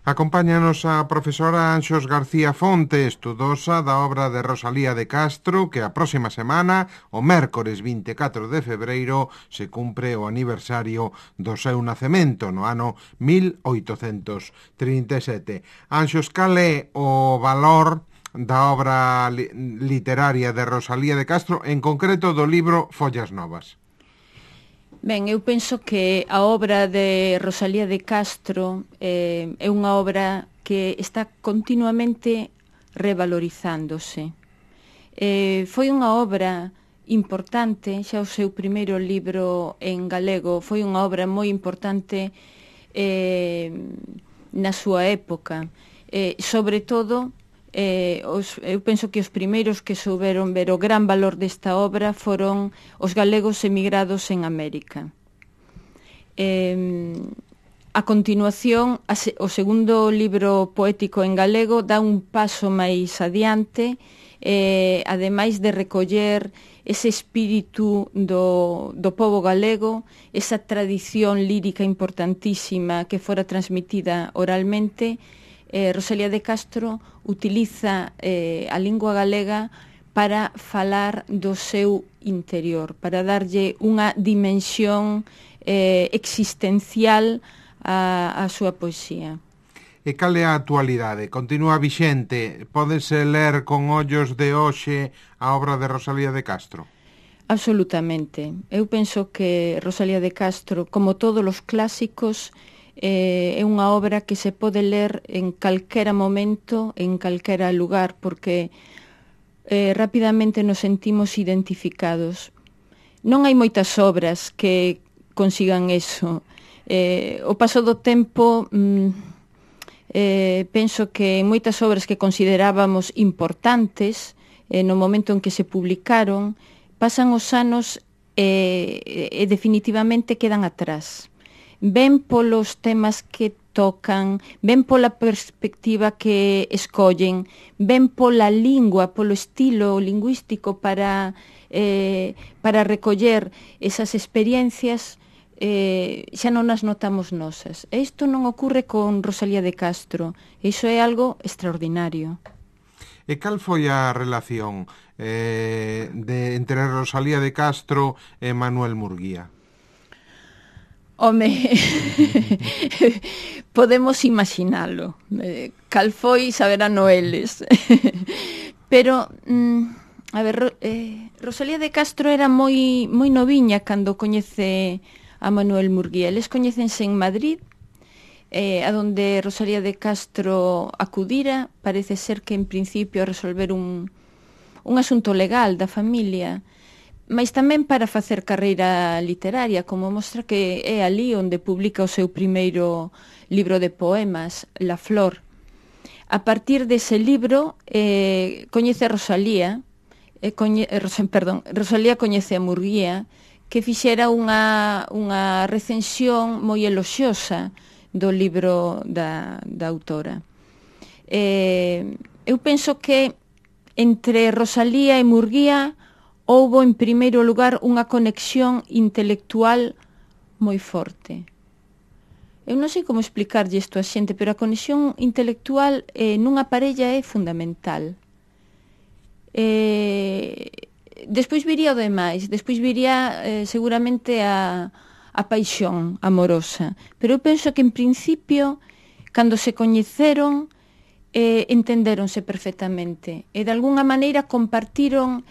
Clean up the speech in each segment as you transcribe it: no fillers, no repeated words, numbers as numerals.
Acompáñanos a profesora Anxos García Fonte, estudosa da obra de Rosalía de Castro, que a próxima semana, o mércores 24 de febreiro, se cumpre o aniversario do seu nacemento no ano 1837. Anxos, cal é o valor da obra literaria de Rosalía de Castro, en concreto do libro Follas Novas? Ben, eu penso que a obra de Rosalía de Castro é unha obra que está continuamente revalorizándose. Foi unha obra importante, xa o seu primeiro libro en galego, foi unha obra moi importante na súa época. Sobre todo, eu penso que os primeiros que souberon ver o gran valor desta obra foron os galegos emigrados en América. A continuación, o segundo libro poético en galego dá un paso máis adiante, ademais de recoller ese espírito do pobo galego, esa tradición lírica importantísima que fora transmitida oralmente. Rosalía de Castro utiliza a lingua galega para falar do seu interior, para darlle unha dimensión existencial á súa poesía. E cal é a actualidade? Continúa vixente? Pódese ler con ollos de hoxe a obra de Rosalía de Castro? Absolutamente. Eu penso que Rosalía de Castro, como todos os clásicos, é unha obra que se pode ler en calquera momento, en calquera lugar, porque rapidamente nos sentimos identificados. Non hai moitas obras que consigan eso. O paso do tempo, penso que moitas obras que considerábamos importantes no momento en que se publicaron, pasan os anos e definitivamente quedan atrás. Ben polos temas que tocan, ben pola perspectiva que escollen, ben pola lingua, polo estilo lingüístico para recoller esas experiencias, xa non as notamos nosas. E isto non ocorre con Rosalía de Castro. Iso é algo extraordinario. E cal foi a relación entre Rosalía de Castro e Manuel Murguía? Home, podemos imaginalo. Cal foi, saberano eles. Pero, a ver, Rosalía de Castro era moi noviña cando coñece a Manuel Murguía. Eles coñécense en Madrid, a donde Rosalía de Castro acudira, parece ser que en principio a resolver un asunto legal da familia, mas tamén para facer carreira literaria, como mostra que é ali onde publica o seu primeiro libro de poemas, La Flor. A partir dese libro, coñece a Rosalía, Rosalía coñece a Murguía, que fixera unha recensión moi eloxiosa do libro da autora. Eu penso que entre Rosalía e Murguía houbo, en primeiro lugar, unha conexión intelectual moi forte. Eu non sei como explicarlle isto a xente, pero a conexión intelectual nunha parella é fundamental. Despois viría o demais, despois viría seguramente a paixón amorosa. Pero eu penso que, en principio, cando se coñeceron, entendéronse perfectamente. E, de alguna maneira, compartiron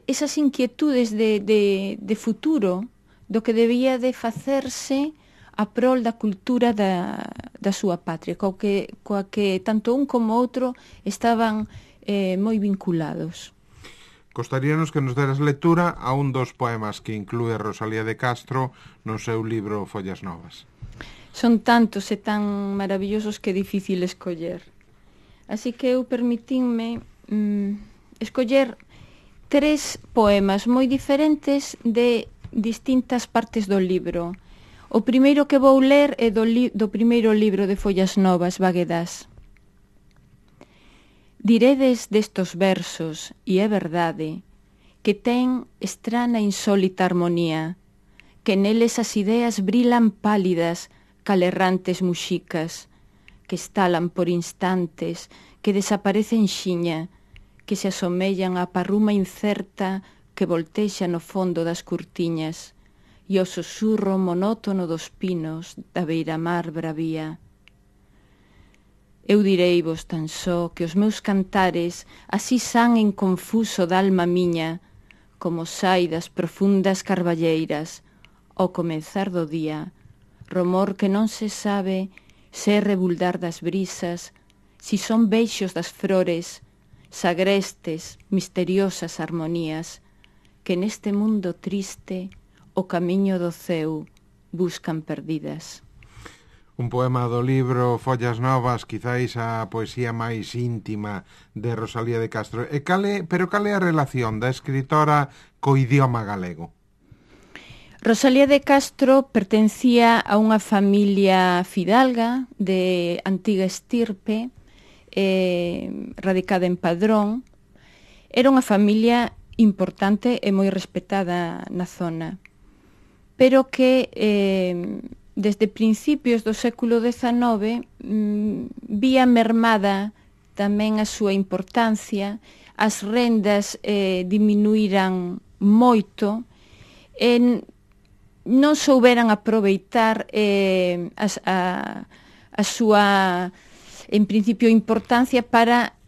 esas inquietudes de futuro, do que debía de facerse a prol da cultura da súa patria, coa que tanto un como outro estaban moi vinculados. Gostaríanos que nos deras lectura a un dos poemas que inclúe Rosalía de Castro no seu libro Follas Novas. Son tantos e tan maravillosos que é difícil escoller. Así que eu permitínme escoller 3 poemas moi diferentes de distintas partes do libro. O primeiro que vou ler é do primeiro libro de Follas Novas, Vaguedás. Diredes destos versos, e é verdade, que ten estrana insólita armonía, que neles as ideas brilan pálidas, calerrantes muxicas, que estalan por instantes, que desaparecen xiña, que se asomellan á parruma incerta que voltexa no fondo das curtiñas e ao susurro monótono dos pinos da beiramar bravía. Eu direivos tan só que os meus cantares así san en confuso da alma miña, como sai das profundas carballeiras, ao comenzar do día, rumor que non se sabe se é rebuldar das brisas, si son beixos das flores, sagrestes, misteriosas armonías, que neste mundo triste o camiño do ceu buscan perdidas. Un poema do libro Follas Novas, quizáis a poesía máis íntima de Rosalía de Castro. Pero cal é a relación da escritora co idioma galego? Rosalía de Castro pertencía a unha familia fidalga de antiga estirpe, radicada en Padrón. Era unha familia importante e moi respetada na zona, pero que desde principios do século XIX vía mermada tamén a súa importancia, as rendas diminuíran moito e non souberan aproveitar a súa, en principio, importancia para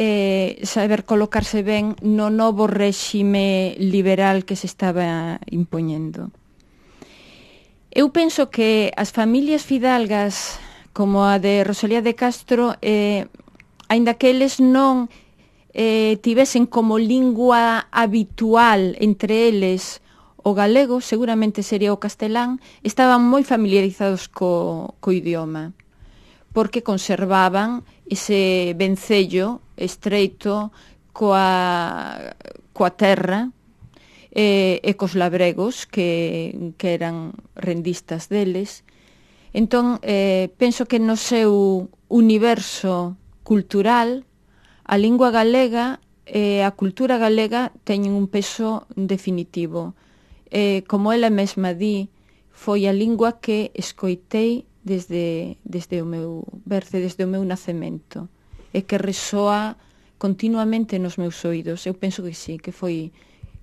saber colocarse ben no novo réxime liberal que se estaba impoñendo. Eu penso que as familias fidalgas, como a de Rosalía de Castro, aínda que eles non tivesen como lingua habitual entre eles o galego, seguramente sería o castelán, estaban moi familiarizados co idioma, porque conservaban ese vencello estreito coa terra, e cos labregos que eran rendistas deles. Entón, penso que no seu universo cultural a lingua galega e a cultura galega teñen un peso definitivo. Como ela mesma di, foi a lingua que escoitei desde o meu berce, desde o meu nacemento, e que resoa continuamente nos meus oídos. Eu penso que sí, que foi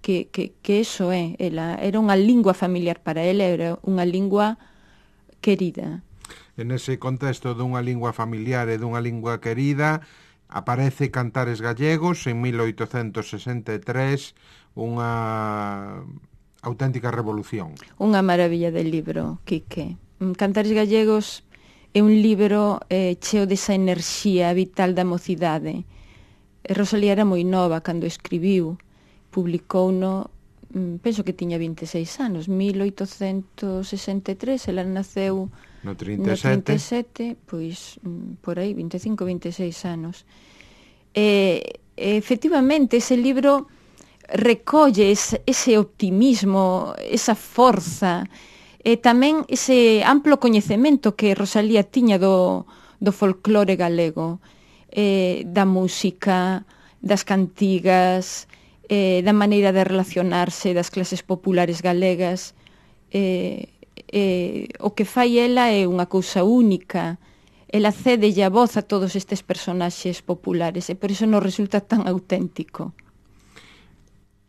que eso é, ela era unha lingua familiar para ela, era unha lingua querida. En ese contexto dunha lingua familiar e dunha lingua querida, aparece Cantares Gallegos en 1863, unha auténtica revolución. Unha maravilla de libro, Quique. Cantares Gallegos é un libro cheo desa enerxía vital da mocidade. Rosalía era moi nova cando escribiu, publicouno, penso que tiña 26 anos, 1863, ela naceu no 37, pois por aí, 25, 26 anos. Efectivamente, ese libro recolle ese optimismo, esa forza, e tamén ese amplo coñecemento que Rosalía tiña do folclore galego, da música, das cantigas, da maneira de relacionarse das clases populares galegas. O que fai ela é unha cousa única. Ela cédelle a voz a todos estes personaxes populares e por iso nos resulta tan auténtico.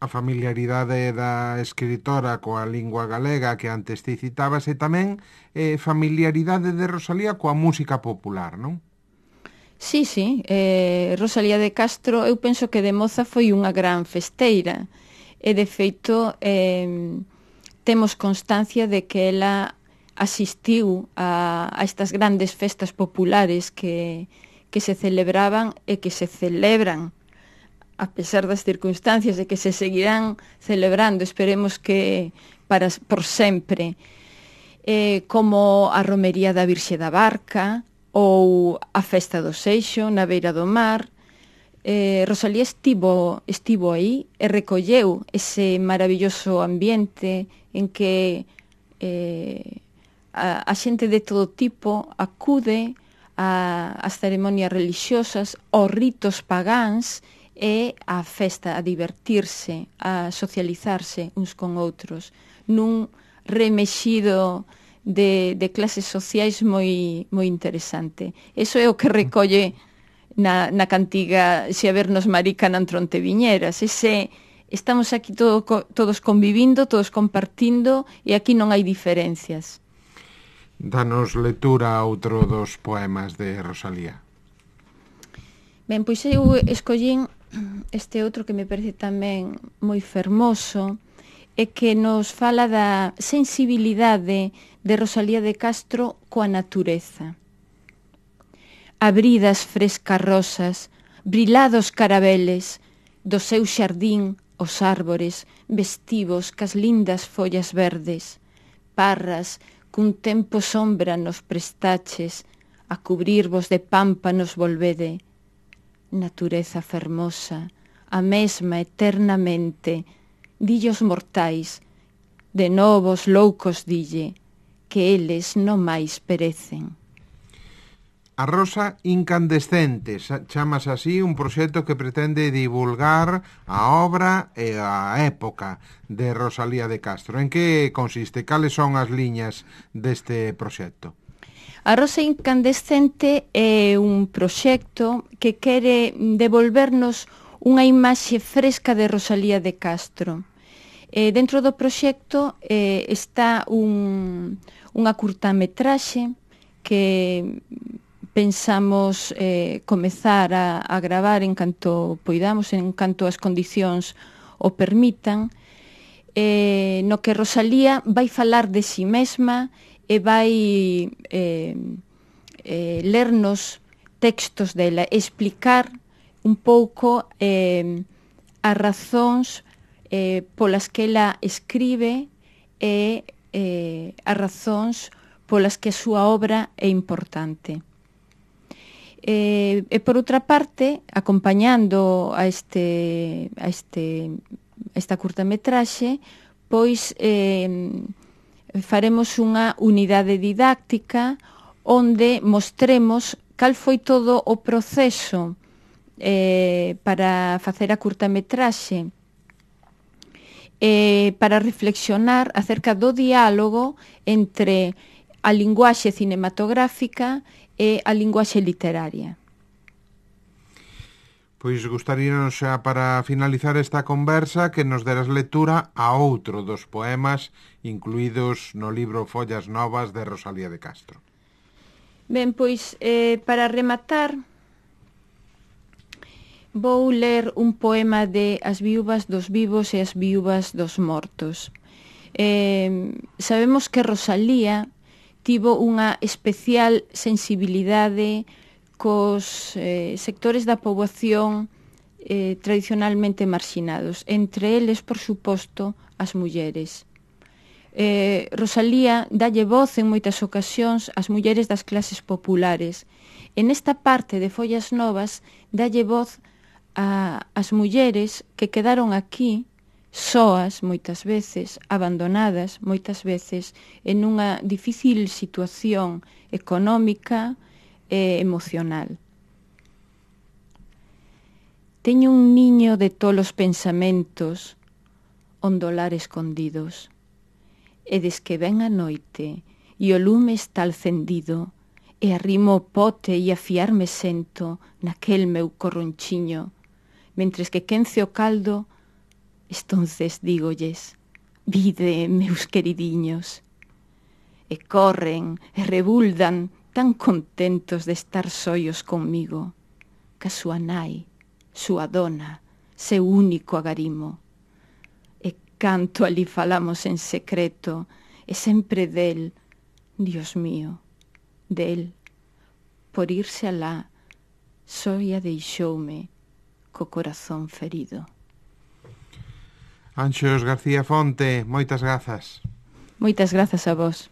A familiaridade da escritora coa lingua galega que antes te citabas e tamén familiaridade de Rosalía coa música popular, non? Sí, Rosalía de Castro, eu penso que de moza foi unha gran festeira e de feito temos constancia de que ela asistiu a estas grandes festas populares que se celebraban e que se celebran a pesar das circunstancias e que se seguirán celebrando, esperemos que por sempre, como a romería da Virxe da Barca ou a festa do Seixo na beira do mar. Rosalía estivo aí e recolleu ese maravilloso ambiente en que a xente de todo tipo acude ás ceremonias religiosas, aos ritos pagáns e á festa, a divertirse, a socializarse uns con outros, nun remexido de clases sociais moi interesante. Eso é o que recolle na cantiga Se a vernos marica nan tronte viñeras. Estamos aquí todos convivindo, todos compartindo, e aquí non hai diferencias. Danos lectura a outro dos poemas de Rosalía. Ben, pois eu escollín este outro que me parece tamén moi fermoso, e que nos fala da sensibilidade de Rosalía de Castro coa natureza. Abridas frescas rosas, brilados carabeles, do seu xardín os árbores, vestivos cas lindas follas verdes, parras cun tempo sombra nos prestaches, a cubrirvos de pámpanos volvede. Natureza fermosa, a mesma eternamente, dillos mortais, de novos loucos dille, que eles non máis perecen. A Rosa Incandescente, chamas así un proxecto que pretende divulgar a obra e a época de Rosalía de Castro. En que consiste? Cales son as liñas deste proxecto? A Rosa Incandescente é un proxecto que quere devolvernos unha imaxe fresca de Rosalía de Castro. Dentro do proxecto está unha curtametraxe que pensamos comezar a gravar en canto poidamos, en canto as condicións o permitan, no que Rosalía vai falar de si mesma e vai lernos textos dela, explicar un pouco as razóns polas que ela escribe e as razóns polas que a súa obra é importante. E por outra parte, acompañando a esta curtametraxe, pois faremos unha unidade didáctica onde mostremos cal foi todo o proceso para facer a curtametraxe, para reflexionar acerca do diálogo entre a linguaxe cinematográfica e a linguaxe literaria. Pois gustaríanos xa para finalizar esta conversa que nos deras lectura a outro dos poemas incluídos no libro Follas Novas de Rosalía de Castro. Ben, pois para rematar vou ler un poema de As viúvas dos vivos e as viúvas dos mortos. Sabemos que Rosalía tivo unha especial sensibilidade cos sectores da poboación tradicionalmente marxinados, entre eles, por suposto, as mulleres. Rosalía dalle voz en moitas ocasións ás mulleres das clases populares. En esta parte de Follas Novas dalle voz ás mulleres que quedaron aquí soas moitas veces, abandonadas moitas veces, en unha difícil situación económica e emocional. Teño un niño de tolos pensamentos, ondolar escondidos, e des que ven a noite e o lume está encendido, e arrimo o pote e a fiarme sento naquel meu corronchiño, mentres que quence o caldo. Estonces dígolles, vide, meus queridiños. E corren e rebuldan tan contentos de estar soios conmigo, ca súa nai, súa dona, seu único agarimo. E canto ali falamos en secreto, e sempre del, Dios mío, del, por irse alá, soia deixoume co corazón ferido. Anxos García Fonte, moitas grazas. Moitas grazas a vos.